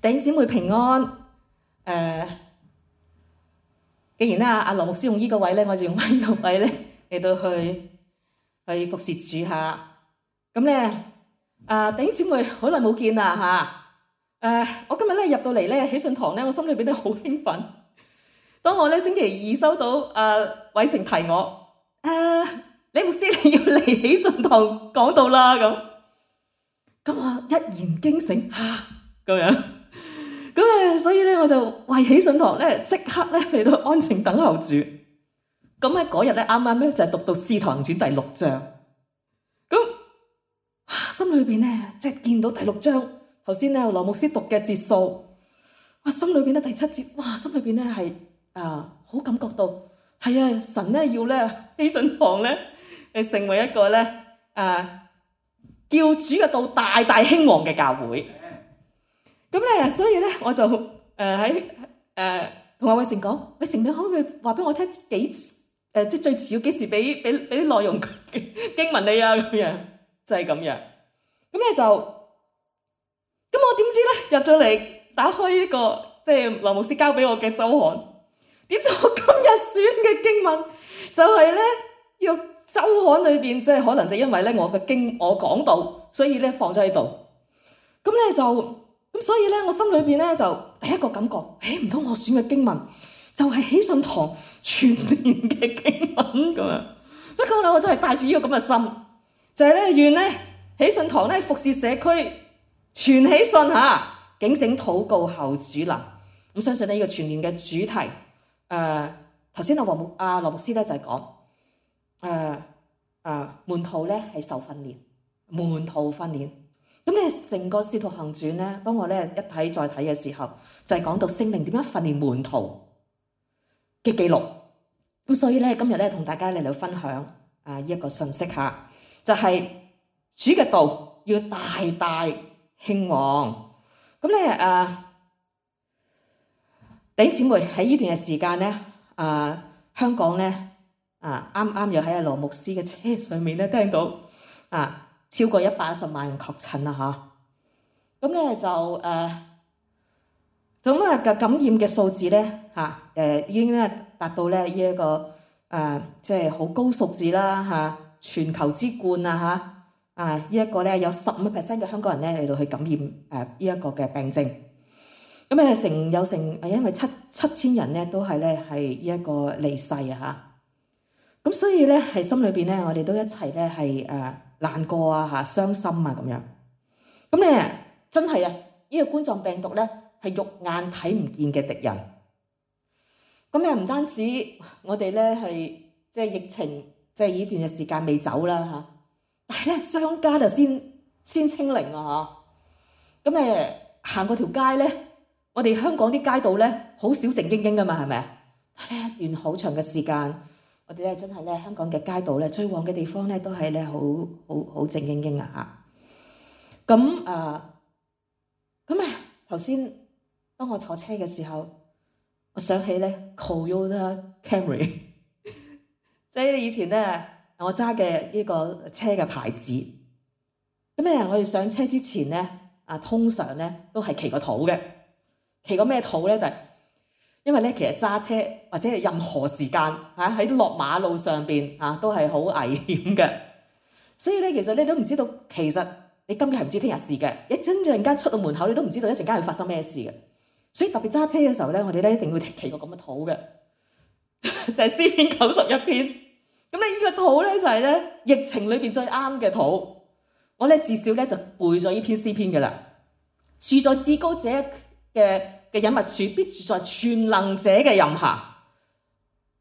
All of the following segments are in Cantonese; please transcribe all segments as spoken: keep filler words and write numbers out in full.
弟兄姊妹平安。誒、呃，既然咧阿羅牧師用呢個位咧，我就用翻呢個位咧嚟到去去服侍主下。咁咧，啊弟兄姊妹好耐冇見啦嚇。誒、呃，我今日咧入到嚟咧喜信堂咧，我心裏邊都好興奮。當我咧星期二收到誒偉成提我，誒、呃、李牧師你要嚟喜信堂講道啦咁，咁我一言驚醒嚇咁樣。咁誒，所以咧我就為喜信堂咧即刻咧嚟到安靜等候住。咁喺嗰日咧啱啱咧就係讀到《使徒行傳》第六章。咁心裏邊咧即係見到第六章頭先咧羅牧師讀嘅節數，哇！心裏邊咧第七節，哇！心裏邊咧係啊好感覺到係啊神咧要咧喜信堂咧誒成為一個咧啊叫主嘅道大大興旺嘅教會。咁咧，所以咧，我就誒喺誒同阿偉成講，偉成你可唔可以話俾我聽幾誒、呃、即係最遲要幾時俾俾俾啲內容經文你啊咁樣，就係、是、咁樣。咁咧就，咁我點知咧入咗嚟打開呢、這個即係羅牧師交俾我嘅周刊，點知我今日選嘅經文就係咧要周刊裏邊，即係可能就因為咧我嘅經我講到，所以咧放咗喺度。咁咧就。咁所以咧，我心裏邊咧就第一個感覺，誒唔通我選嘅經文就係喜信堂全年嘅經文咁樣。不過咧，我真係帶住呢個咁嘅心，就係咧願咧喜信堂咧服侍社區全喜信嚇，警醒禱告後主臨。咁相信呢個全年嘅主題，誒頭先阿黃牧阿羅牧師咧就係講，誒誒門徒咧係受訓練，門徒訓練。咁咧，成個使徒行傳咧，當我咧一睇再睇嘅時候，就係、是、講到聖靈點樣訓練門徒嘅記錄。咁所以咧，今日咧同大家嚟到分享啊呢一個信息嚇，就係、是、主嘅道要大大興旺。咁咧啊，弟兄姊妹喺呢段嘅時間咧，啊香港咧啊啱啱又喺阿羅牧師嘅車上面咧聽到啊。超過一百一十萬人確診啦嚇，咁咧就誒，咁啊嘅感染嘅數字咧嚇誒已經咧達到咧呢一個誒即係好高數字啦嚇，全球之冠啊嚇啊呢一個咧有十五 percent 嘅香港人咧嚟到去感染誒呢一個嘅病症，咁誒成有成誒因為七七千人咧都係咧係呢一個離世啊嚇，咁所以咧係心裏邊咧我哋都一齊咧係誒。難過啊嚇，傷心啊咁樣，咁咧真係啊！呢、這個冠狀病毒咧係肉眼睇唔見嘅敵人。咁咧唔單止我哋咧係即係疫情，即係呢段嘅時間未走啦嚇，但係咧商家就先先清零啊嚇。咁誒行過條街咧，我哋香港啲街道咧好少靜英英噶嘛，係咪啊？但係一段好長嘅時間。我哋咧真係咧香港嘅街道咧最旺嘅地方咧都係咧好好好靜英英啊嚇！咁啊咁啊頭先當我坐車嘅時候，我想起咧 Toyota Camry， 即係以前咧我揸嘅呢個車嘅牌子。咁咧我哋上車之前咧啊，通常咧都係騎個土嘅，騎個咩土咧就係、是。因為咧，其實揸車或者係任何時間嚇喺落馬路上邊嚇都係好危險嘅，所以咧其實你都唔知道，其實你今日係唔知聽日事嘅，一陣陣間出到門口你都唔知道一陣間會發生咩事嘅，所以特別揸車嘅時候咧，我哋咧一定會騎個咁嘅土嘅，就係詩篇九十一篇。咁咧呢個土咧就係咧疫情裏邊最啱嘅土，我咧至少咧就背咗呢篇詩篇嘅啦，住在至高者嘅嘅隱密處，必住在全能者嘅蔭下。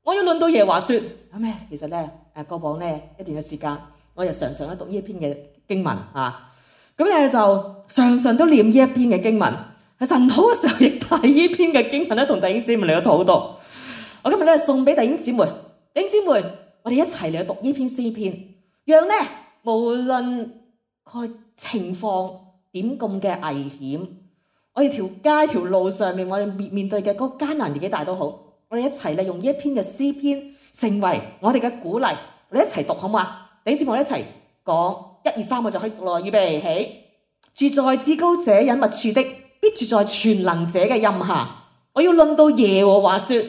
我要論到耶和華說，咁咧其實咧誒過往咧一段嘅時間，我又常常咧讀呢一篇嘅經文啊，咁咧就常常都念呢一篇嘅經文。喺晨禱嘅時候，亦帶呢篇嘅經文咧，同弟兄姊妹嚟到禱告。我今日咧送俾弟兄姊妹，弟兄姊妹，我哋一齊嚟讀呢篇詩篇，讓咧無論個情況點咁嘅危險。我哋條街條路上面，我哋面面對嘅嗰個艱難年紀大都好，我哋一齊利用呢一篇嘅詩篇，成為我哋嘅鼓勵。我哋一齊讀好唔好啊？弟兄姊妹，我哋一齊講一二三，我就可以讀咯。預備起，住在至高者隱密處的，必住在全能者嘅蔭下。我要論到耶和華說，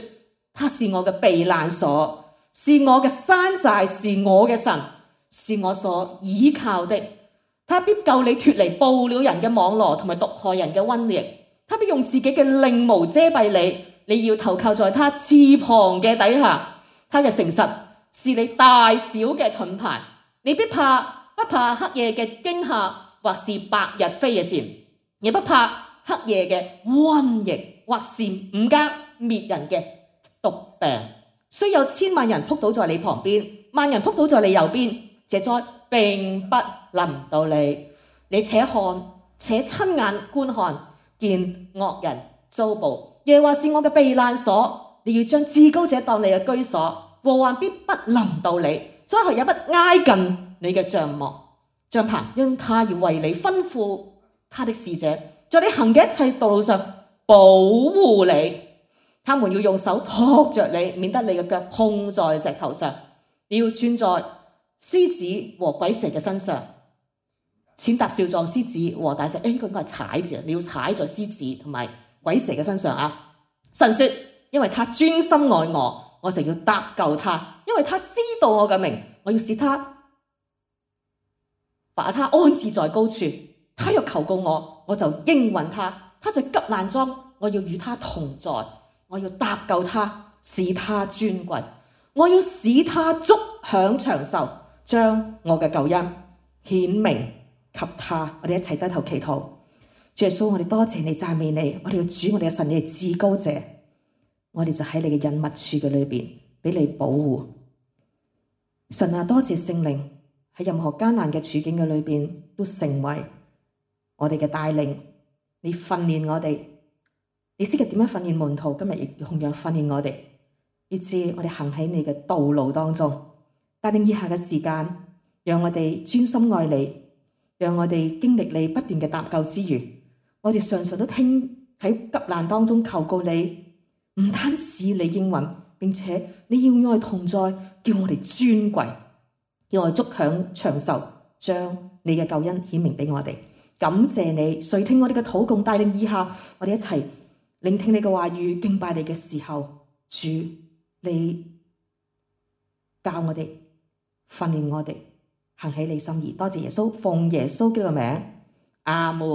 他是我嘅避難所，是我嘅山寨，是我嘅神，是我所倚靠的。他必救你脫離捕鳥人嘅網羅同埋毒害人嘅瘟疫。他必用自己嘅翎毛遮蔽你，你要投靠在他翅膀嘅底下。他嘅誠實是你大小嘅盾牌，你必怕不怕黑夜嘅驚嚇，或是白日飛嘅箭，也不怕黑夜嘅瘟疫，或是午間滅人嘅毒病。雖有千萬人撲倒在你旁邊，萬人撲倒在你右邊，這災並不臨到你。你且看，且親眼觀看，見惡人遭報。耶和華是我嘅避難所，你要將至高者當你嘅居所，禍患必不臨到你，災害也不挨近你嘅帳幕帳棚，因他要為你吩咐他的使者，在你行嘅一切道路上保護你。他們要用手托着你，免得你嘅腳碰在石頭上。你要穿在獅子和鬼蛇嘅身上，踐踏少壯獅子和大蛇。誒，呢個應該係踩字，你要踩在獅子同埋鬼蛇嘅身上啊！神說：因為他專心愛我，我就要搭救他；因為他知道我嘅名，我要使他把他安置在高處。他若求告我，我就應允他。他在急難中，我要與他同在。我要搭救他，使他尊貴。我要使他足享長壽，將我嘅救恩顯明給他。我哋一齊低頭祈禱。主耶穌，我哋多謝你，讚美你。我哋嘅主，我哋嘅神，你係至高者。我哋就喺你嘅隱密處嘅裏邊，俾你保護。神啊，多謝聖靈喺任何艱難嘅處境嘅裏邊，都成為我哋嘅帶領。你訓練我哋。你識嘅點樣訓練門徒，今日亦同樣訓練我哋，以致我哋行喺你嘅道路當中。帶領以下嘅時間，讓我哋專心愛你，讓我哋經歷你不斷嘅搭救之餘，我哋常常都聽喺急難當中求告你，唔單止你應允，並且你要愛同在，叫我哋尊貴，叫我哋足享長壽，將你嘅救恩顯明俾我哋。感謝你，垂聽我哋嘅禱告，帶領以下我哋一齊聆聽你嘅話語，敬拜你嘅時候，主你教我哋，訓練我哋行起你心意。多謝耶穌，奉耶穌基督嘅名，阿門。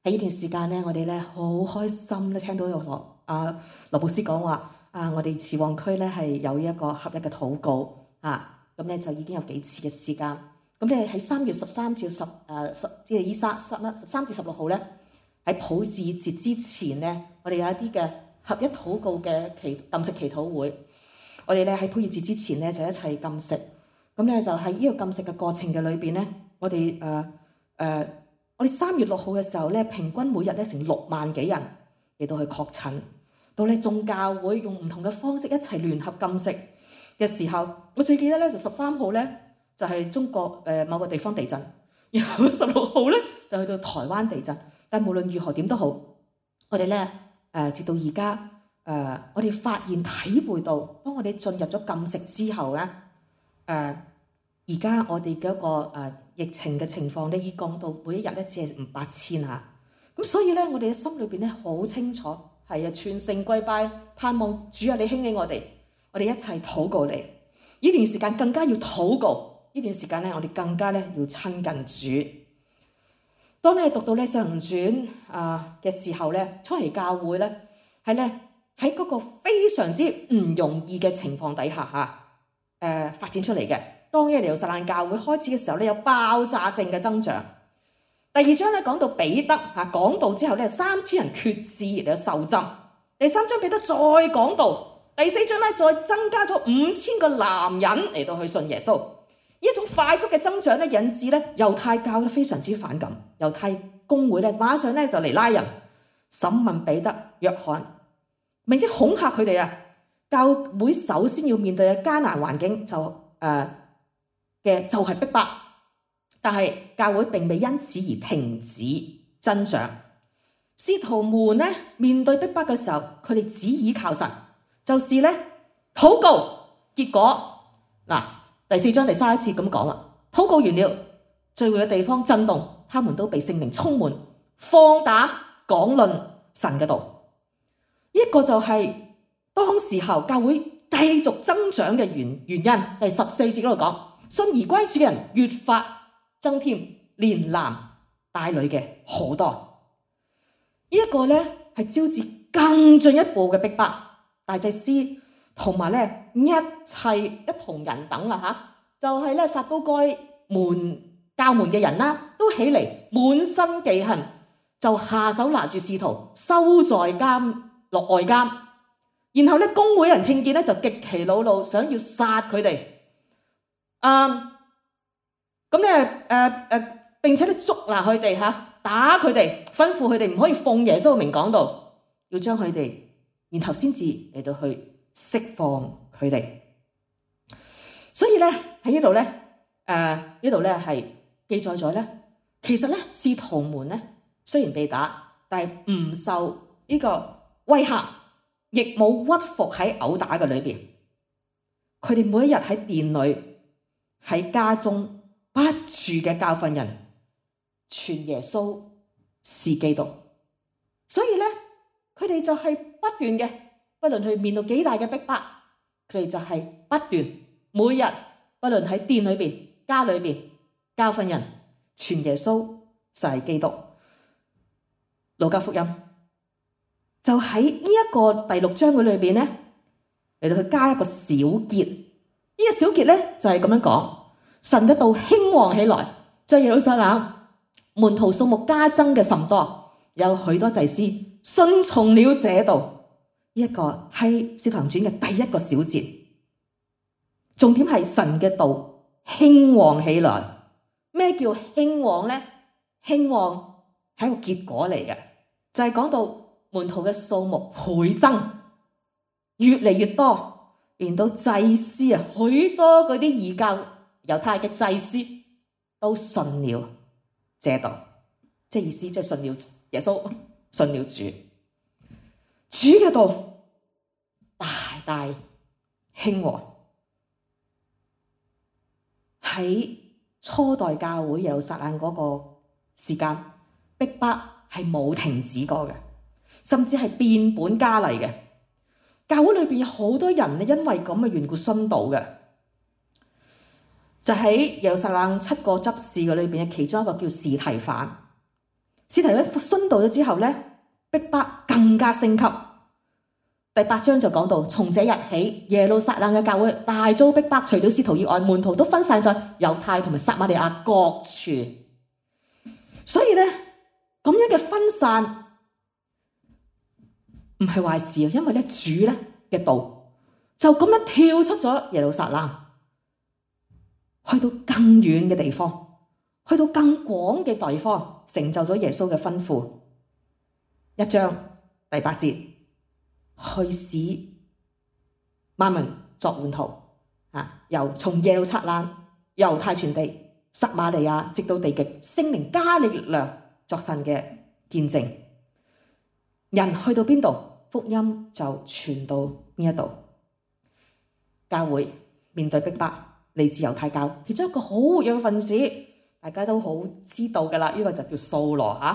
喺呢段時間咧，我哋咧好開心咧，聽到有羅啊羅布斯講話啊，我哋慈旺區咧係有一個合一嘅禱告啊，咁咧就已經有幾次嘅時間。咁咧喺三月十三至十誒十即係依三十啦，十三至十六號咧。喺普世節之前咧，我哋有一啲嘅合一禱告嘅祈禁食祈禱會。我哋咧喺普世節之前咧就一齊禁食。咁咧就喺呢個禁食嘅過程嘅裏邊咧，我哋誒誒，我哋三月六號嘅時候咧，平均每日咧成六萬幾人嚟到去確診。到咧眾教會用唔同嘅方式一齊聯合禁食嘅時候，我最記得咧就十三號咧就係中國誒某個地方地震，然後十六號咧就去到台灣地震。但無論如何點都好，我哋咧誒，直到而家誒，我哋發現體會到，當我哋進入咗禁食之後咧，誒而家我哋嘅一個誒、呃、疫情嘅情況咧，已降到每一日咧只係五八千嚇。咁所以咧，我哋嘅心裏邊咧好清楚，係啊，全城跪拜，盼望主啊，你興起我哋，我哋一齊禱告你。呢段時間更加要禱告，呢段時間咧，我哋更加咧要親近主。當你讀到呢《使徒行傳》啊嘅時候咧，初期教會咧係咧喺嗰個非常之唔容易嘅情況底下嚇，誒、呃、發展出嚟嘅。當耶路撒冷教會開始嘅時候咧，有爆炸性嘅增長。第二章咧講到彼得嚇講道之後咧，三千人決志嚟到受浸。第三章彼得再講道，第四章咧再增加咗五千個男人嚟到去信耶穌。呢一種快速嘅增長咧，引致咧猶太教咧非常之反感，猶太公會咧馬上咧就嚟拉人審問彼得、約翰，並且恐嚇佢哋啊！教會首先要面對嘅艱難環境就誒嘅、呃、就係逼迫，但係教會並未因此而停止增長。使徒們咧面對逼迫嘅時候，佢哋只倚靠神，就是咧禱告。結果嗱。第四章第三一節咁講啦，禱告完了，聚會嘅地方震動，他們都被聖靈充滿，放膽講論神嘅道。呢一個就係當時候教會繼續增長嘅原原因。第十四節嗰度講，信而歸主嘅人越發增添，連男帶女嘅好多。呢一個咧係招致更進一步嘅逼迫，大祭司同埋咧一切一同人等啊吓，就係咧撒都該門教門嘅人啦，都起嚟滿身忌恨，就下手拿住使徒收在監落外監。然後咧公會人聽見咧就極其惱怒，想要殺佢哋。啊，咁咧誒誒，並且咧捉拿佢哋吓，打佢哋，吩咐佢哋唔可以奉耶穌嘅名講道，要將佢哋，然後先至嚟到去釋放佢哋。所以咧喺呢度咧，誒呢度咧係記載咗咧，其實咧使徒們咧雖然被打，但係唔受呢個威嚇，亦冇屈服喺毆打嘅裏邊。佢哋每一日喺殿裏、喺家中不住嘅教訓人，傳耶穌是基督。所以咧，佢哋就係不斷嘅，不論去面對幾大嘅逼迫，佢哋就係不斷每日，不論喺殿裏邊、家裏邊教訓人，傳耶穌就係基督。路加福音就喺呢一個第六章嘅裏邊咧，嚟到去加一個小結。呢個小結咧就係咁樣講：神嘅道興旺起來，在耶路撒冷門徒數目加增嘅甚多，有許多祭司信從了這道。呢一個係《使徒行傳》嘅第一個小節。重點係神嘅道興旺起來。咩叫興旺咧？興旺係一個結果嚟嘅，就係講到門徒嘅數目倍增，越嚟越多，連到祭司啊，許多嗰啲異教猶太嘅祭司都信了這道，即係意思即係信了耶穌，信了主。主嘅道大大興旺。喺初代教會耶路撒冷嗰個時間，逼迫係冇停止過嘅，甚至係變本加厲嘅。教會裏邊有好多人咧，因為咁嘅緣故殉道嘅。就喺耶路撒冷七個執事嘅裏邊嘅其中一個叫司提反。司提反殉道咗之後咧，逼迫更加升級。第八章就講到，從這日起，耶路撒冷嘅教會大遭逼迫，除了使徒以外，門徒都分散在猶太同埋撒瑪利亞各處。所以咧，咁樣嘅分散唔係壞事啊，因為咧主咧嘅道就咁樣跳出咗耶路撒冷，去到更遠嘅地方，去到更廣嘅地方，成就咗耶穌嘅吩咐。一章第八節。去使萬民作門徒，啊！由從耶路撒冷、猶太全地、撒瑪利亞，直到地極，聖靈加力量作神嘅見證。人去到邊度，福音就傳到邊一度。教會面對逼迫，嚟自猶太教，其中一個好活躍嘅分子，大家都好知道噶啦，呢、這個就叫掃羅吓，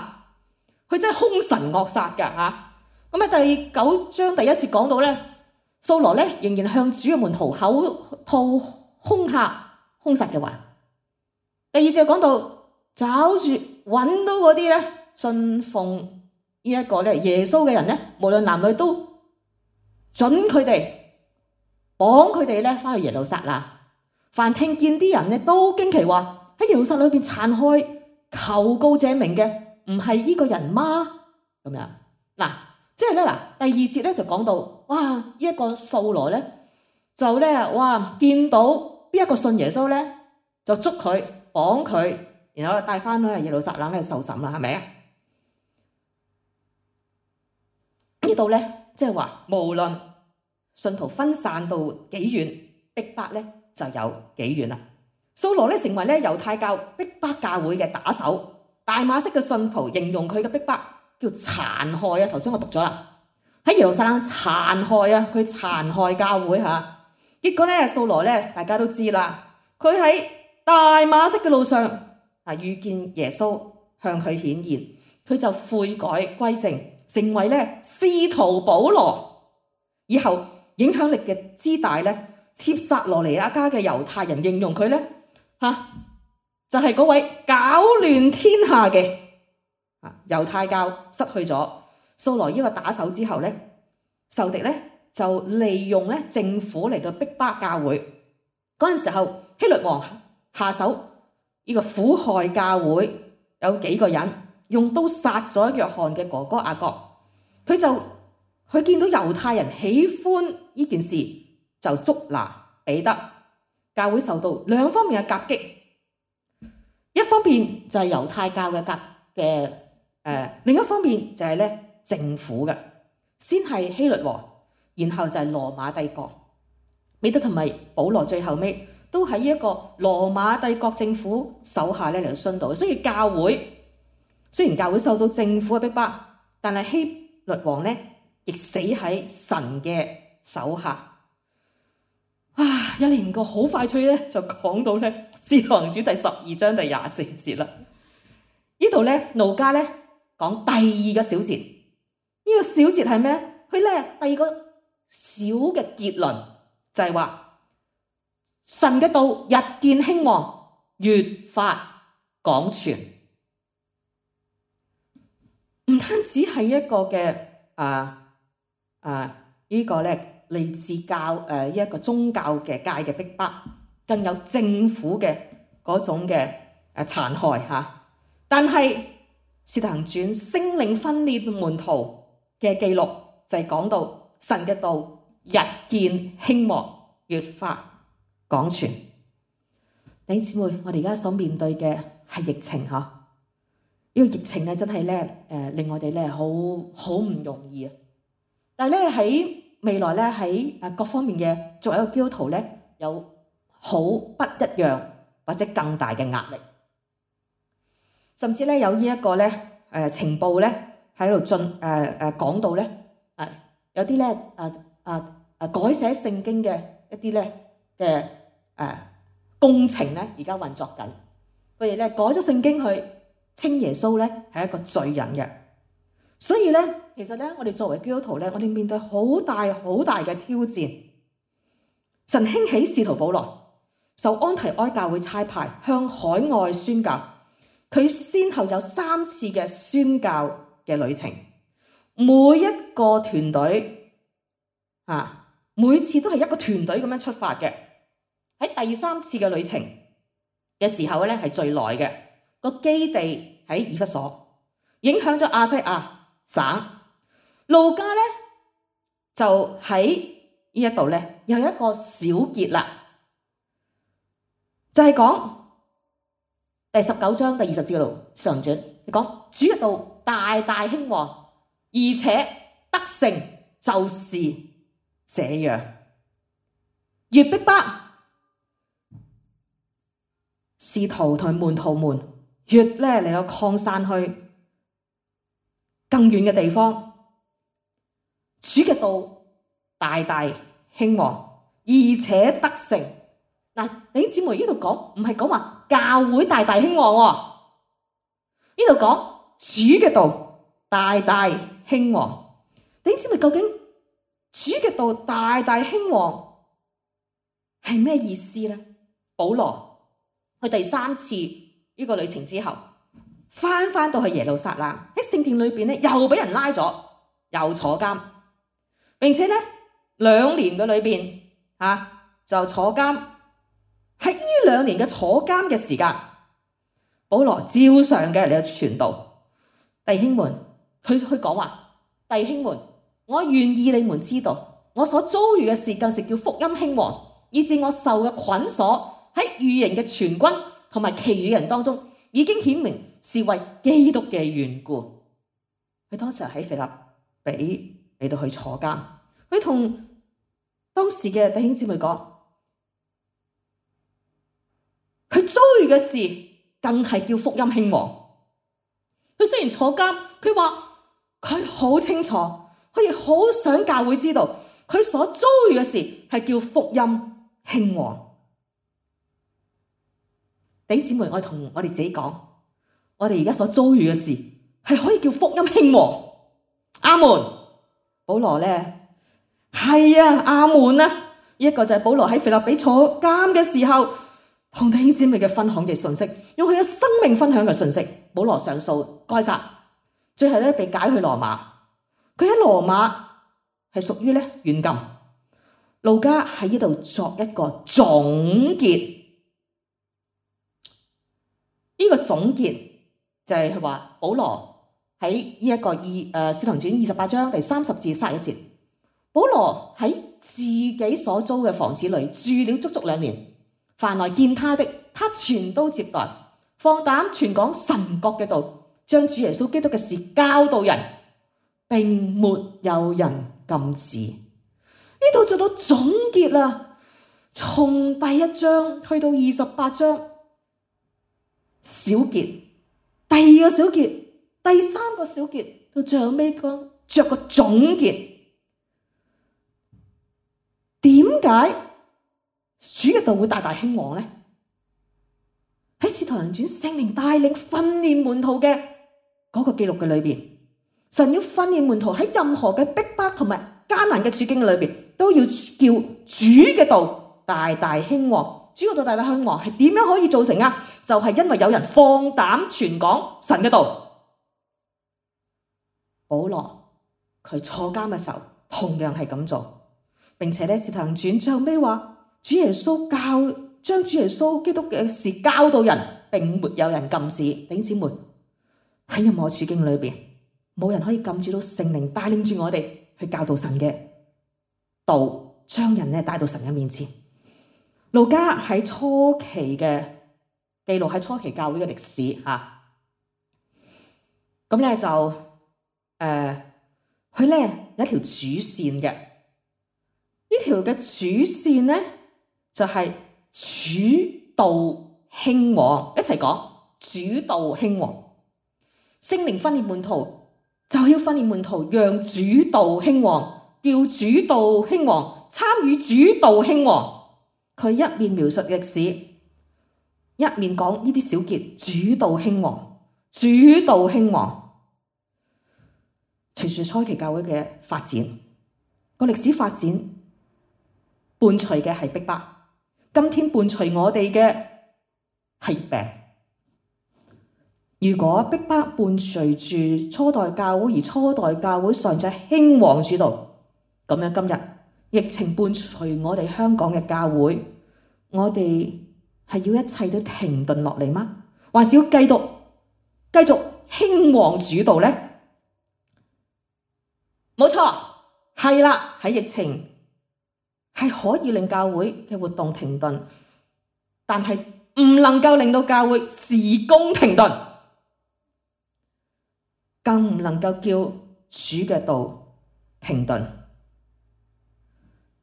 佢、啊、真係兇神惡煞噶吓。咁喺第九章第一節講到咧，掃羅咧仍然向主嘅門徒口吐兇嚇、兇殺嘅話。第二節講到找住揾到嗰啲咧信奉呢一個咧耶穌嘅人咧，無論男女都准佢哋綁佢哋咧翻去耶路撒冷。凡聽見啲人咧都驚奇話，喺耶路撒冷裏邊殘害求告這名嘅唔係呢個人嗎？咁樣嗱。即係咧嗱，第二節咧就講到，哇！呢、這、一個掃羅咧就咧，哇！見到邊一個信耶穌咧，就捉佢綁佢，然後帶翻去耶路撒冷咧受審啦，係咪啊？呢度咧即係話，無論信徒分散到幾遠，逼迫咧就有幾遠啦。掃羅咧成為咧猶太教逼迫教會嘅打手，大馬色嘅信徒形容佢嘅逼迫叫殘害啊！頭先我讀咗啦，喺耶路撒冷殘害啊，佢殘害教會嚇。結果咧，掃羅咧大家都知啦，佢喺大馬色嘅路上啊遇見耶穌向佢顯現，佢就悔改歸正，成為咧使徒保羅。以後影響力嘅之大咧，帖撒羅尼迦嘅猶太人形容佢咧嚇，就係嗰位攪亂天下嘅啊猶太教失去咗掃羅呢個打手之後咧，仇敵咧就利用咧政府嚟到逼迫教會。嗰陣時候，希律王下手呢個苦害教會，有幾個人用刀殺咗約翰嘅哥哥雅各。佢就佢見到猶太人喜歡呢件事，就捉拿彼得。教會受到兩方面嘅夾擊，一方面就係猶太教嘅夾嘅誒，另一方面就係咧政府嘅，先係希律王，然後就係羅馬帝國。彼得同埋保羅最後尾都喺一個羅馬帝國政府手下咧嚟到殉道。所以教會雖然教會受到政府嘅逼迫，但係希律王咧亦死喺神嘅手下。啊！一連個好快脆咧，就講到咧《使徒行傳》第十二章第廿四節啦。呢度咧路加咧講第二個小節，呢、這個小節係咩？佢咧第二個小嘅結論就係話神嘅道日見興旺，越發廣傳。唔單止係一個嘅啊啊呢個咧。嚟自教誒一個宗教嘅界嘅逼迫，更有政府嘅嗰種嘅誒殘害嚇。但係《使徒行傳》聖靈訓練門徒嘅記錄就係講到神嘅道日見興旺，越發廣傳。弟兄姊妹，我哋而家所面對嘅係疫情嚇，呢、這個疫情咧真係咧誒令我哋咧好好唔容易啊！但係咧喺未來咧喺誒各方面嘅作為一個基督徒咧，有好不一樣或者更大嘅壓力，甚至咧有呢一個咧誒情報咧喺度進誒誒講到咧誒有啲咧誒誒誒改寫聖經嘅一啲咧嘅誒工程咧而家運作緊，佢哋咧改咗聖經去稱耶穌咧係一個罪人嘅。所以咧，其實咧，我哋作為基督徒咧，我哋面對好大好大嘅挑戰。神興起使徒保羅，受安提阿教會差派向海外宣教，佢先後有三次嘅宣教嘅旅程，每一個團隊啊，每次都係一個團隊咁樣出發嘅。喺第三次嘅旅程嘅時候咧，係最耐嘅，個基地喺以弗所，影響咗亞西亞省。路加咧就喺呢一度咧，又有一個小結啦，就係、是、講第十九章第二十節嗰度上轉，你講主嘅道大大興旺，而且得勝就是這樣，越逼迫使徒同門徒們越咧嚟到擴散去更遠嘅地方。主嘅道大大興旺，而且得勝。嗱，弟兄姊妹，呢度講唔係講話教會大大興旺喎，呢度講主嘅道大大興旺。弟兄姊妹，究竟主嘅道大大興旺係咩意思咧？保羅去第三次呢個旅程之後，翻翻到去耶路撒冷，喺聖殿裏邊咧又俾人拉咗，又坐監。並且咧兩年嘅裏邊啊就坐監，喺呢兩年嘅坐監嘅時間，保羅照常嘅嚟傳道。弟兄們，佢佢講話，弟兄們，我願意你們知道，我所遭遇嘅事更是叫福音興旺，以致我受嘅捆鎖喺御營嘅全軍同埋其餘人當中，已經顯明是為基督嘅緣故。佢當時喺腓立比嚟到去坐監，佢同當時嘅弟兄姊妹講，佢遭遇嘅事更係叫福音興旺。佢雖然坐監，佢話佢好清楚，佢亦好想教會知道，佢所遭遇嘅事係叫福音興旺。弟兄姊妹，我同我哋自己講，我哋而家所遭遇嘅事係可以叫福音興旺。阿門。保羅咧係啊，阿門啊！呢一個就係保羅喺腓立比坐監嘅時候同弟兄姊妹嘅分享嘅信息，用佢嘅生命分享嘅信息。保羅上訴該撒，最後咧被解去羅馬。佢喺羅馬係屬於咧軟禁。路加喺呢度作一個總結，呢、這個總結就係話保羅喺呢一個二誒《使徒行傳》二十八章第三十至三十一節，保羅喺自己所租嘅房子裏住了足足兩年，凡來見他的，他全都接待，放膽傳講神國嘅道，將主耶穌基督嘅事教導人，並沒有人禁止。呢度做到總結啦，從第一章去到二十八章小結，第二個小結，第三個小結，到最後尾個着個總結。點解主嘅道會大大興旺呢？喺使徒行傳聖靈帶領訓練門徒嘅嗰個記錄嘅裏邊，神要訓練門徒喺任何嘅逼迫同埋艱難嘅處境裏邊，都要叫主嘅道大大興旺。主嘅道大大興旺係點樣可以造成啊？就係因為有人放膽傳講神嘅道。保羅佢坐監嘅時候同樣係咁做，並且咧使徒行傳最後尾話，主耶穌教將主耶穌基督嘅事教導人，並沒有人禁止。弟兄姊妹，喺任何處境裏邊，冇人可以禁止到聖靈帶領住我哋去教導神嘅道，將人咧帶到神嘅面前。路加喺初期嘅記錄，喺初期教會嘅歷史吓，咁咧就誒，佢咧有一條主線嘅，呢條嘅主線咧就係主道興旺，一齊講主道興旺。聖靈訓練門徒就要訓練門徒，讓主道興旺，叫主道興旺，參與主道興旺。佢一面描述歷史，一面講呢啲小結，主道興旺，主道興旺。隨住初期教會嘅發展，個歷史發展伴隨嘅係逼迫，今天伴隨我哋嘅係疫病。如果逼迫伴隨住初代教會，而初代教會尚在興旺主道，咁樣今日疫情伴隨我哋香港嘅教會，我哋係要一切都停頓落嚟嗎？還是要繼續繼續興旺主道呢？冇錯，係啦，喺疫情係可以令教會嘅活動停頓，但係唔能夠令到教會事工停頓，更唔能夠叫主嘅道停頓。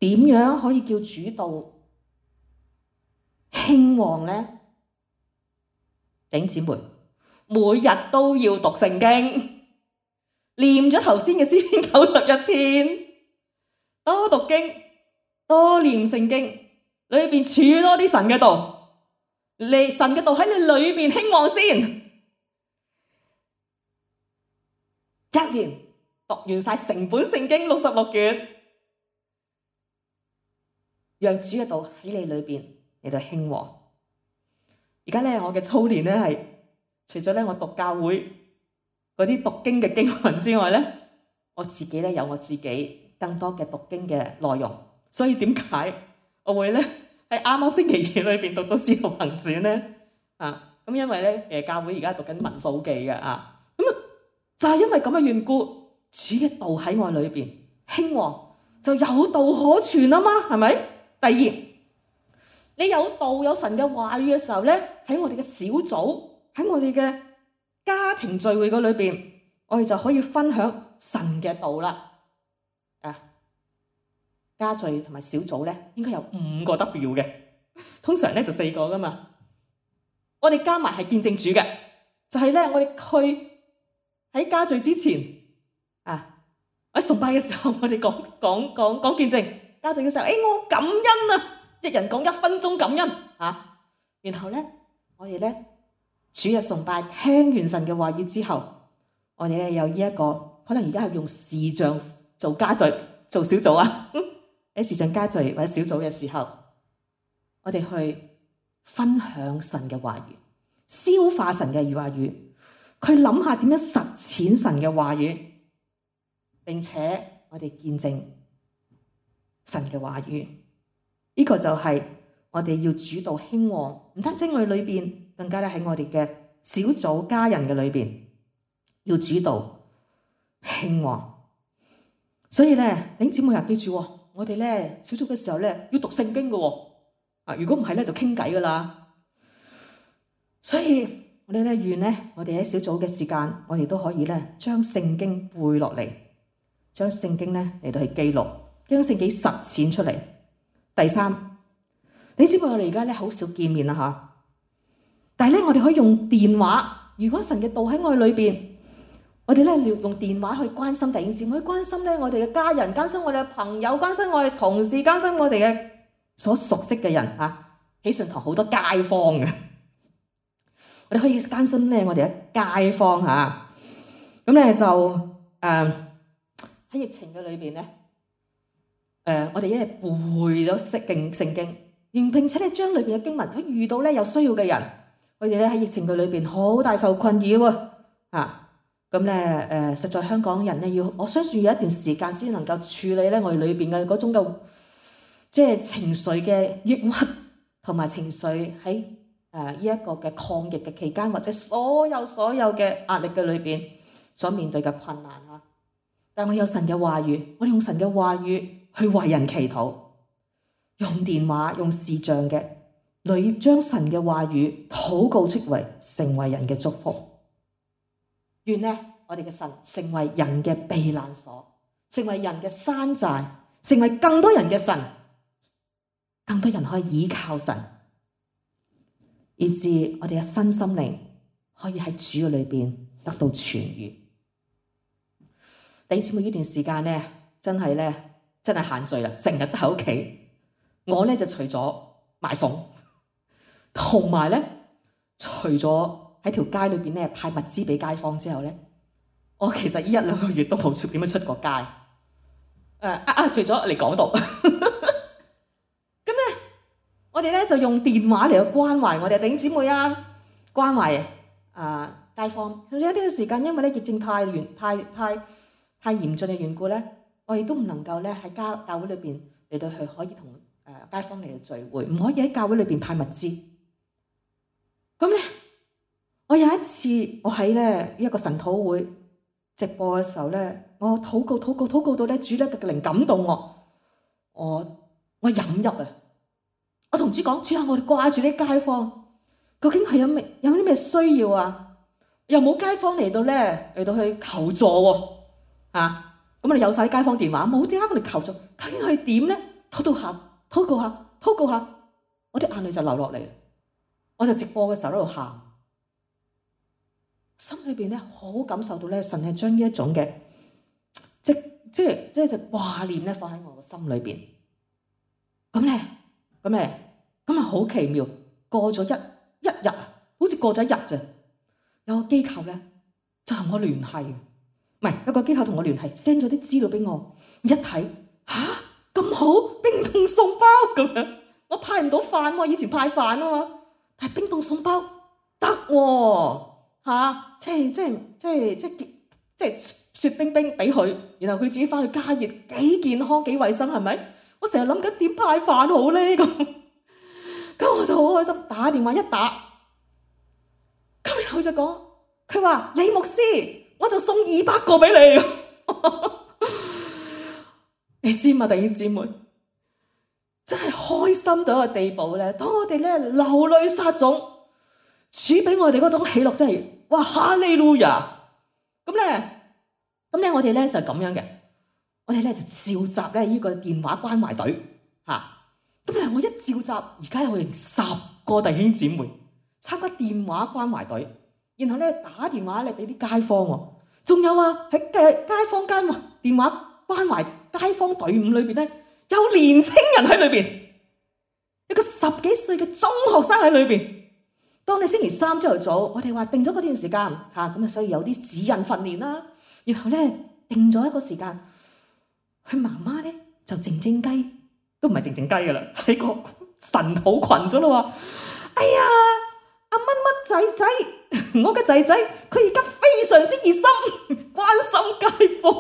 點樣可以叫主道興旺呢？弟兄姊妹，每日都要讀聖經，念咗頭先嘅詩篇九十一篇，多讀經，多念聖經，裏邊儲多啲神嘅道，你神嘅道喺你裏邊興旺先。一年讀完晒成本聖經六十六卷，讓主嘅道喺你裏邊嚟到興旺。而家咧，我嘅操練咧係除咗咧我讀教會嗰啲讀經嘅經文之外咧，我自己咧有我自己更多嘅讀經嘅內容。所以點解我會咧喺啱啱星期二裏邊讀到《使徒行傳》咧？啊，咁因為咧誒教會而家讀緊民數記嘅啊，咁就係因為咁嘅緣故，主嘅道喺我裏邊興旺，就有道可傳啊嘛，係咪？第二，你有道有神嘅話語嘅時候咧，喺我哋嘅小組，喺我哋嘅家庭聚會嗰裏邊，我哋就可以分享神嘅道啦。啊，家聚同埋小組咧，應該有五個 W 嘅，通常咧就四個噶嘛。我哋加埋係見證主嘅，就係咧我哋去喺家聚之前啊，喺崇拜嘅時候，我哋講講講講見證。家聚嘅時候，誒、哎、我感恩啊！一人講一分鐘感恩啊，然後咧，我哋咧主日崇拜聽完神嘅話語之後，我哋咧有呢、這、一個，可能而家係用視像做家聚、做小組啊。喺視像家聚或者小組嘅時候，我哋去分享神嘅話語，消化神嘅話語，去諗下點樣實踐神嘅話語，並且我哋見證神嘅話語。呢、這個就係我哋要主導興旺，唔單止我哋裏邊，更加咧喺我哋嘅小組家人嘅裏邊，要主導興旺。所以咧，弟兄姊妹啊，記住，我哋咧小組嘅時候咧要讀聖經嘅，啊，如果唔係咧就傾偈噶啦。所以我哋咧願咧，我哋喺小組嘅時間，我哋都可以咧將聖經背落嚟，將聖經咧嚟到去記錄，將聖經實踐出嚟。第三，你知唔知我哋而家咧好少見面啦吓，但係咧我哋可以用電話。如果神嘅道喺我哋裏邊，我哋咧用電話去關心弟兄姊妹，去關心咧我哋嘅家人，關心我哋嘅朋友，關心我哋同事，關心我哋嘅所熟悉嘅人吓。喜信堂好多街坊嘅，我哋可以關心咧我哋嘅街坊吓。咁咧就誒喺、呃、疫情嘅裏邊咧，誒、呃、我哋一日背咗聖經聖經，並且咧將裏邊嘅經文，如果遇到咧有需要嘅人，佢哋咧喺疫情嘅裏邊好大受困擾喎吓。咁咧誒，實在香港人咧要，我相信要一段時間先能夠處理咧我哋裏邊嘅嗰種嘅即係情緒嘅抑鬱，同埋情緒喺誒呢一個嘅抗疫嘅期間，或者所有所有嘅壓力嘅裏邊所面對嘅困難啊！但係我有神嘅話語，我哋用神嘅話語去為人祈禱，用電話用視像嘅，裏將神嘅話語禱告出嚟，成為人嘅祝福。願呢，我哋嘅神成為人嘅避難所，成為人嘅山寨，成為更多人嘅神，更多人可以倚靠神，以致我哋嘅身心靈可以喺主嘅裏邊得到痊愈。弟兄姊妹，呢段時間咧，真係咧，真係限聚啦，成日都喺屋企。我咧就除咗買餸，同埋咧，除咗喺條街裏邊咧派物資俾街坊之後咧，我其實呢一兩個月都冇出點樣出過街。誒啊啊！除咗嚟講道，咁咧，我哋咧就用電話嚟去關懷我哋弟兄姊妹啊，關懷啊街坊。有一段時間，因為咧疫症太嚴、太太太嚴峻嘅緣故咧，我亦都唔能夠咧喺教教會裏邊嚟到去可以同誒街坊嚟到聚會，唔可以喺教會裏邊派物資。咁咧。我有一次，我喺咧一個神禱會直播嘅時候咧，我禱告、禱告、禱告到咧，主咧嘅靈感動我，我我引入啊！我同主講，主啊，我哋掛住啲街坊，究竟係有咩有啲咩需要啊？又冇街坊嚟到咧嚟到去求助喎，啊！咁我哋有晒街坊電話，冇點解我哋求助？究竟係點咧？禱告下，禱告下，禱告下，我啲眼淚就流落嚟，我就直播嘅時候喺度喊。心裏邊咧好感受到咧，神係將呢一種嘅即即係即係就掛念咧放喺我嘅心裏邊。咁咧，咁咧，咁啊好奇妙。過咗一一日，好似過咗一日咋？有個機構咧就同我聯繫，唔係有個機構同我聯繫 ，send 咗啲資料俾我。一睇吓咁好，冰凍送包咁樣。我派唔到飯，我以前派飯啊嘛，但係冰凍送包得喎。嚇、啊！即係即係即係即係即係雪冰冰俾佢，然後佢自己翻去加熱，幾健康幾衞生係咪？我成日諗緊點派飯好咧咁，咁我就好開心，打電話一打，咁然後就講，佢話李牧師，我就送二百個俾你，你知嘛？弟兄姊妹，真係開心到一個地步咧，當我哋咧流淚撒種，主俾我哋嗰種喜樂真係〜哇！哈利路亞！咁咧，咁咧，我哋咧就咁樣嘅，我哋咧就召集咧呢個電話關懷隊嚇。咁咧，我一召集，而家有成十個弟兄姊妹參加電話關懷隊，然後咧打電話嚟俾啲街坊喎。仲有啊，喺嘅街坊間電話關懷街坊隊伍裏邊咧，有年青人喺裏邊，一個十幾歲嘅中學生喺裏邊。當你星期三朝頭早，我哋話定咗嗰段時間嚇，咁啊所以有啲指引訓練啦。然後咧定咗一個時間，佢媽媽咧就靜靜雞，都唔係靜靜雞噶啦，喺個神土群咗咯喎。哎呀，阿乜乜仔仔，我嘅仔仔，佢而家非常之熱心，關心街坊。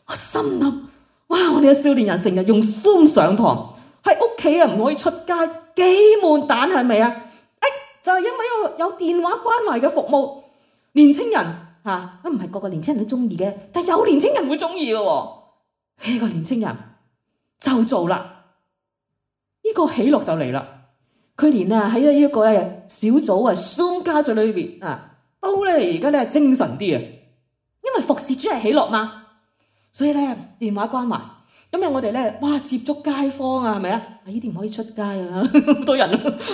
我心諗，哇！我哋嘅少年人成日用 Zoom 上堂，喺屋企啊唔可以出街，幾悶蛋係咪啊？誒，就係因為有有電話關懷嘅服務，年青人嚇，都唔係個個年青人都中意嘅，但係有年青人會中意嘅喎。呢個年青人就做啦，呢個喜樂就嚟啦。佢連啊喺呢一個咧小組啊 Zoom 家族裏邊啊，都咧而家咧精神啲啊，因為服侍主係喜樂嘛，所以咧電話關懷。今日我哋咧哇接觸街坊啊，係咪啊？呢啲唔可以出街啊，好多人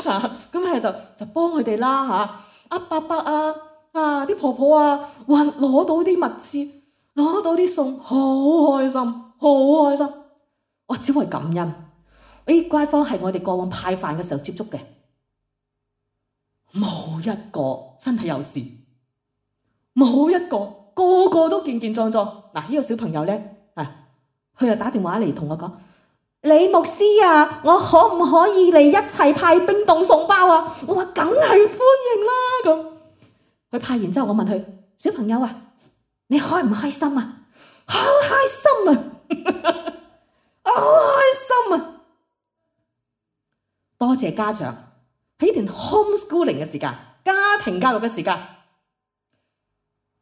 啊，咁係就就幫佢哋啦嚇。阿伯伯啊啊啲婆婆啊，哇攞到啲物資，攞到啲餸，好開心，好開心。我只會感恩。啲街坊係我哋過往派飯嘅時候接觸嘅，冇一個身體有事，冇一個，個個都健健壯壯。嗱，呢個小朋友咧，啊，佢又打電話嚟同我講：李牧師啊，我可唔可以嚟一齊派冰凍餸包啊？我話梗係歡迎啦咁。佢派完之後，我問佢：小朋友啊，你開唔開心啊？好開心啊！好開心啊！多謝家長喺呢段 homeschooling 嘅時間，家庭教育嘅時間，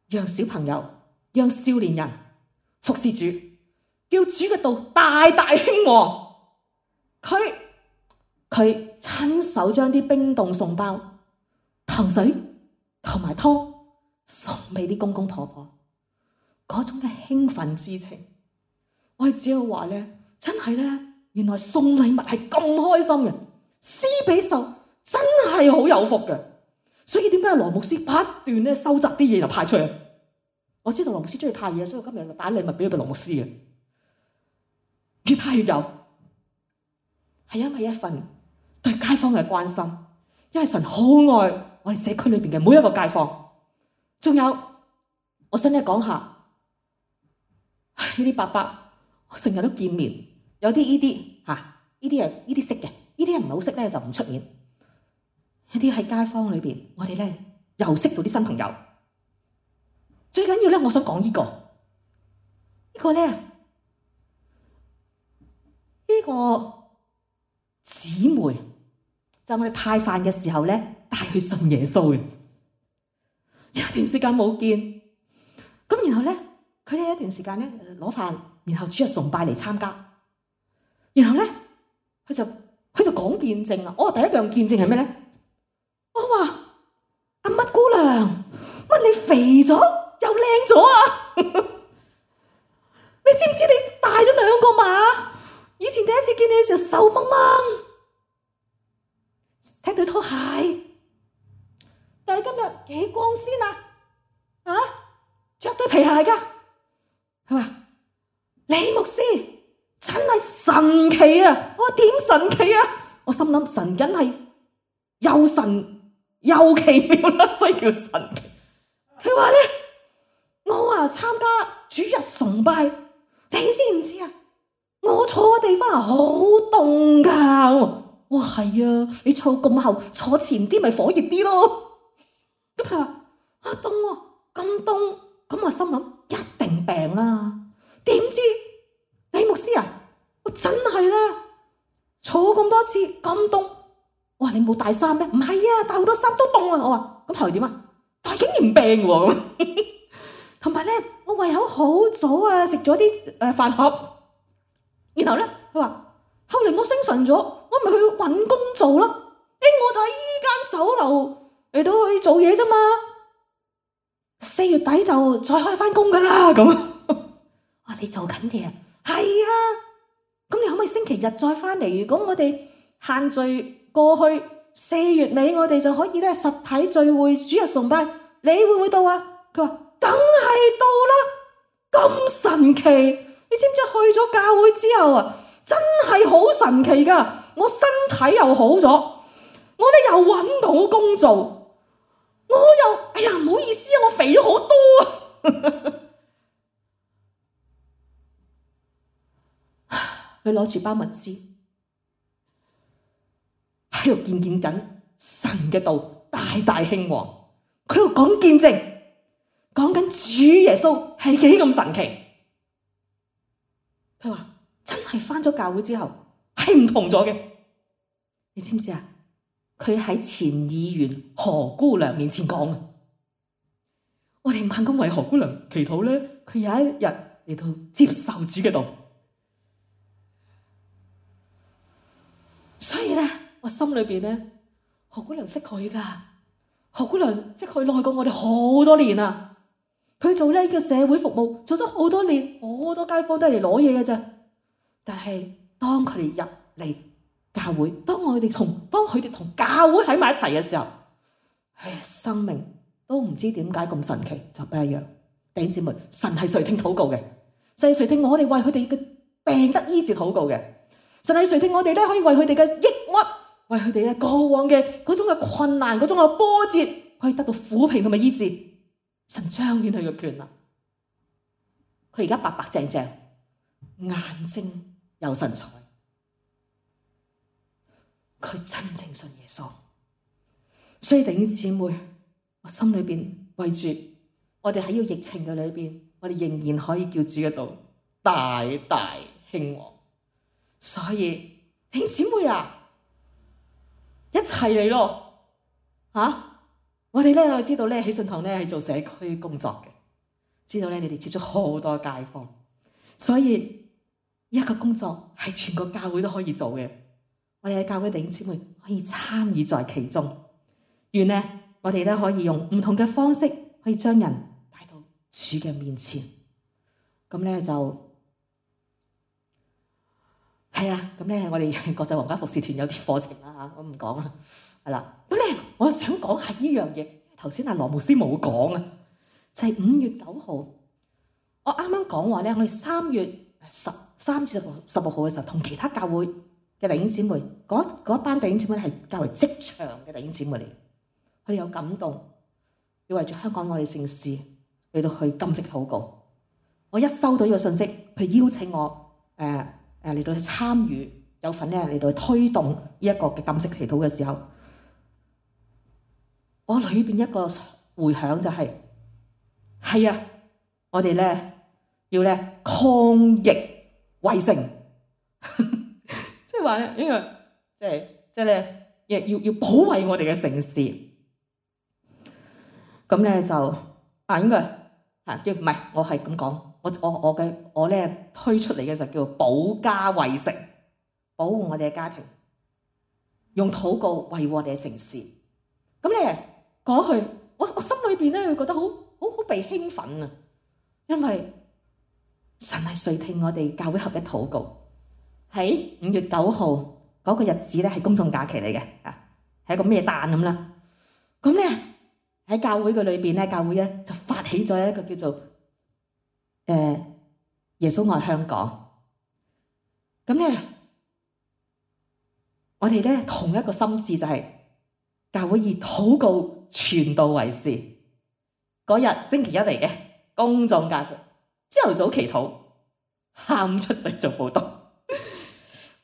讓小朋友、讓少年人服侍主，叫主嘅道大大興旺。佢佢親手將啲冰凍餸包、糖水同埋湯送俾啲公公婆婆，嗰種嘅興奮之情，我哋只有話咧，真係咧，原來送禮物係咁開心嘅。施比受真係好有福嘅，所以點解羅牧師不斷咧收集啲嘢就派出去？我知道羅牧師中意派嘢，所以我今日就打禮物俾佢俾羅牧師嘅，越派越有，係因為一份對街坊嘅關心，因為神好愛我哋社區裏邊嘅每一個街坊。仲有，我想咧講下呢啲伯伯，我成日都見面，有啲呢啲吓，呢啲係呢啲識嘅。呢啲人唔係好識咧，就唔出面。呢啲喺街坊裏邊，我哋咧又識到啲新朋友。最緊要咧，我想講呢個，呢個咧，呢個姊妹就我哋派飯嘅時候咧，帶佢信耶穌嘅。有一段時間冇見，咁然後咧，佢哋有一段時間咧攞飯，然後主日崇拜嚟參加，然後咧佢就。佢就講見證啦。我話第一樣見證係咩咧？我話阿乜姑娘，乜你肥咗又靚咗啊？你知唔知你大咗兩個碼？以前第一次見你嘅時候瘦掹掹，踢對拖鞋，但係今日幾光鮮啊！啊，着對皮鞋噶。佢話李牧師。真係神奇啊！我話點神奇啊？我心諗神真係又神又奇妙啦，所以叫神奇。佢話咧，我啊參加主日崇拜，你知唔知啊？我坐嘅地方係好凍噶。我話係啊，你坐咁後，坐前啲咪火熱啲咯。咁佢話啊凍喎，咁凍，咁我心諗一定病啦。點知？李牧師啊，我真係啦，坐咁多次咁凍，我話你冇帶衫咩？唔係啊，帶好多衫都凍啊！我話咁後來點啊？但係竟然唔病喎，同埋咧，我胃口好早啊，食咗啲誒飯盒，然後咧佢話後嚟我精神咗，我咪去搵工做咯。誒，我就喺依間酒樓嚟到去做嘢啫嘛，四月底就再開翻工噶啦咁。哇，你做緊嘢啊？係啊，咁你可唔可以星期日再翻嚟？如果我哋限聚過去四月尾，我哋就可以咧實體聚會主日崇拜，你會唔會到啊？佢話梗係到啦，咁神奇！你知唔知去咗教會之後啊，真係好神奇噶！我身體又好咗，我我咧又揾到工做，我又哎呀唔好意思啊，我肥咗好多啊！佢攞住包物資喺度見見緊神嘅道大大興旺，佢喺度講見證，講緊主耶穌係幾咁神奇。佢話真係返咗教會之後係唔同咗嘅。你知唔知啊？佢喺前議員何姑娘面前講啊，我哋猛咁為何姑娘祈禱咧，佢有一日嚟到接受主嘅道。所以咧，我心裏邊咧，何姑娘識佢噶，何姑娘識佢耐過我哋好多年啦。佢做呢個社會服務做咗好多年，好多街坊都係嚟攞嘢嘅啫。但係當佢哋入嚟教會，當我哋同當佢哋同教會喺埋一齊嘅時候，唉，生命都唔知點解咁神奇，就不一樣。弟兄姊妹，神係垂聽禱告嘅，神係垂聽我哋為佢哋嘅病得醫治禱告嘅，神係垂聽我哋咧可以為佢哋嘅抑鬱，為佢哋嘅過往嘅嗰種嘅困難、嗰種嘅波折，可以得到撫平同埋醫治。神彰顯佢嘅權能，佢而家白白淨淨，眼睛有神采，佢真正信耶穌。所以弟兄姊妹，我心裏邊為住我哋喺呢個疫情嘅裏邊，我哋仍然可以叫主嘅道大大興旺。所以弟兄姊妹啊，一齊嚟咯吓！我哋咧，我知道咧，喜信堂咧係做社區工作嘅，知道咧你哋接觸好多街坊，所以一個工作係全個教會都可以做嘅。我哋嘅教會弟兄姊妹可以參與在其中，願呢我哋咧可以用唔同嘅方式，可以將人帶到主嘅面前。咁咧就係啊，咁咧我哋國際皇家服侍團有啲課程啦嚇，我唔講啦。係啦，咁咧，我想講下呢樣嘢。頭先阿羅牧師冇講啊，就係五月九號。我啱啱講話咧，我哋三月十三至十六號嘅時候，同其他教會嘅弟兄姊妹，嗰嗰班弟兄姊妹係較為職場嘅弟兄姊妹嚟，佢哋有感動，要為住香港我哋城市嚟到去禁食禱告。我一收到呢個信息，佢邀請我誒誒嚟到去參與，有份咧嚟到去推動呢一個嘅禁食祈禱嘅時候。我裏邊一個回響就係、是，係啊，我哋咧要咧抗疫為城，即係話咧，因為即係即係咧，要要要保衛我哋嘅城市。咁咧就啊，應該嚇叫唔係，我係咁講，我我我嘅我咧推出嚟嘅就叫保家為城，保護我哋嘅家庭，用禱告維護我哋嘅城市。咁咧。講去，我我心裏邊咧會覺得好好好被興奮啊！因為神係垂聽我哋教會合一禱告，喺五月九號嗰個日子咧係公眾假期嚟嘅，啊係一個咩誕咁啦。咁咧喺教會嘅裏邊咧，教會咧就發起咗一個叫做誒、呃、耶穌愛香港。咁咧我哋咧同一個心志就係、是、教會以禱告傳道為事，嗰日星期一嚟嘅公眾假期，朝頭早祈禱，下午出嚟做報道，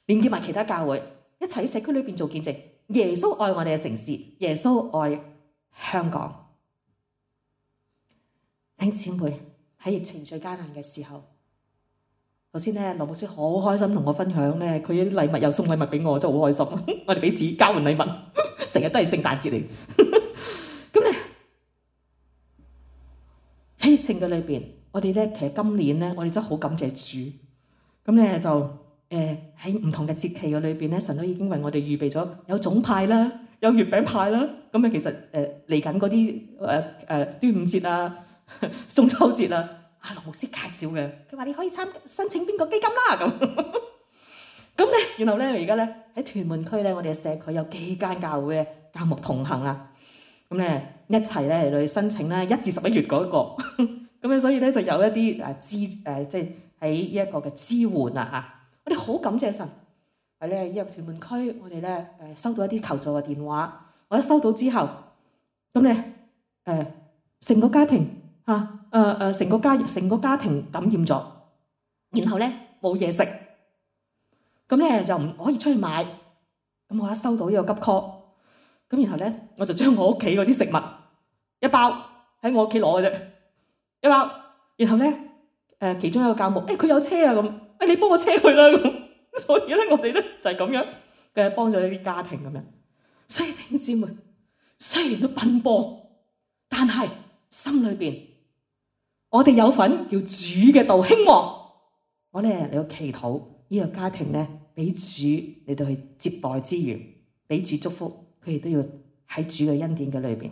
連結埋其他教會一齊喺社區裏邊做見證。耶穌愛我哋嘅城市，耶穌愛香港。弟兄姊妹，喺疫情最艱難嘅時候，頭先咧羅牧師好開心同我分享咧，佢啲禮物又送禮物俾我，真係好開心。我哋彼此交換禮物，成日都係聖誕節嚟。咁咧喺疫情嘅裏邊，我哋咧其實今年咧，我哋真係好感謝主。咁咧就誒喺唔同嘅節期嘅裏邊咧，神都已經為我哋預備咗有粽派啦，有月餅派啦。咁啊，其實誒嚟緊嗰啲誒誒端午節啊、中秋節啊，阿羅牧師介紹嘅，佢話你可以參申請邊個基金啦咁。咁咧，然後咧而家咧喺屯門區咧，我哋嘅社區有幾間教會咧教牧同行啊。咁咧一齊咧嚟去申請咧一至十一月嗰、那個，咁咧所以咧就有一啲誒支誒即係喺呢一個嘅支援啊嚇，我哋好感謝神，喺咧呢個屯門區，我哋咧誒收到一啲求助嘅電話。我一收到之後，咁咧誒成個家庭嚇誒誒成個家成個家庭感染咗，然後咧冇嘢食，咁咧就唔可以出去買。咁我一收到呢個急 call，咁然後咧我就將我屋企嗰啲食物一包喺我屋企攞嘅啫，一包。然後咧誒、呃、其中一個教牧，誒、欸、佢有車啊咁，誒、欸、你幫我車佢啦咁。所以咧我哋咧就係咁樣嘅幫咗呢啲家庭咁樣。所以弟兄姊妹，雖然都奔波，但係心裏邊我哋有份叫主嘅道興旺。我咧嚟到祈禱呢個家庭咧，俾主嚟到去接待之餘，俾主祝福，佢哋都要喺主嘅恩典嘅裏邊。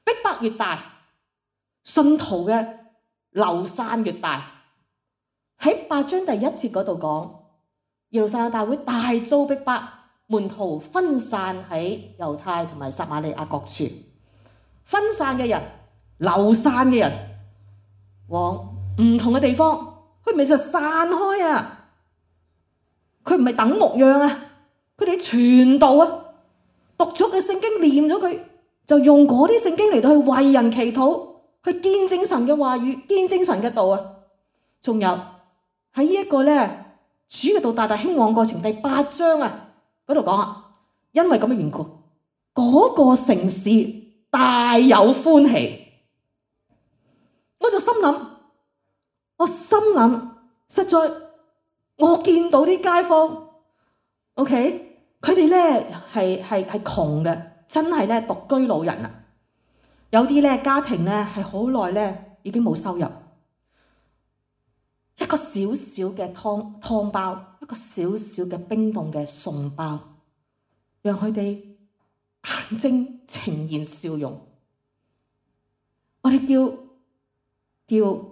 逼迫越大，信徒嘅流散越大。喺八章第一節嗰度講，耶路撒冷大會大遭逼迫，門徒分散喺猶太同埋撒瑪利亞各處。分散嘅人、流散嘅人，往唔同嘅地方，佢咪就散開啊！佢唔係等牧養啊，佢哋傳道啊，讀咗嘅聖經念咗佢，就用嗰啲聖經嚟到去為人祈禱，去見證神嘅話語，見證神嘅道啊。仲有喺呢一個咧，主嘅道大大興旺過程第八章啊嗰度講啊，因為咁嘅緣故，嗰、那個城市大有歡喜。我就心諗，我心諗，實在我見到啲街坊 ，OK，佢哋咧係係係窮嘅，真係咧獨居老人啊。有啲咧家庭咧係好耐咧已經冇收入，一個小小嘅湯湯包，一個小小嘅冰凍嘅餸包，讓佢哋眼睛呈現笑容。我哋叫叫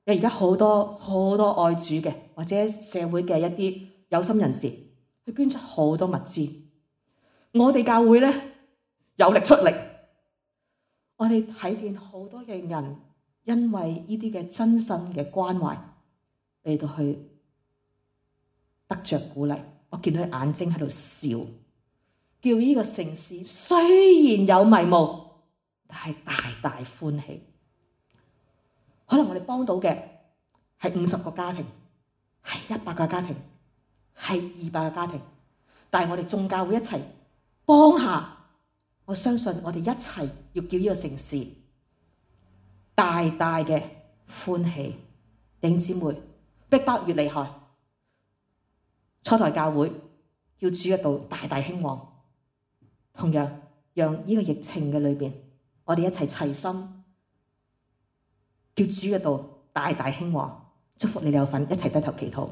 而家好多好多愛主嘅或者社會嘅一啲有心人士去捐出好多物資。我哋教會咧有力出力，我哋睇見好多嘅人因為呢啲嘅真心嘅關懷嚟到去得着鼓勵。我見到佢眼睛喺度笑，叫呢個城市雖然有迷霧，但係大大歡喜。可能我哋幫到嘅係五十個家庭，係一百個家庭，係二百個家庭，但係我哋眾教會一齊幫下，我相信我哋一齊要叫呢個城市大大嘅歡喜。弟兄姊妹，逼迫越厲害，初代教會要主嘅道大大興旺，同樣讓呢個疫情嘅裏邊，我哋一齊齊心。叫主嘅道大大興旺，祝福你哋有份一齊低頭祈禱。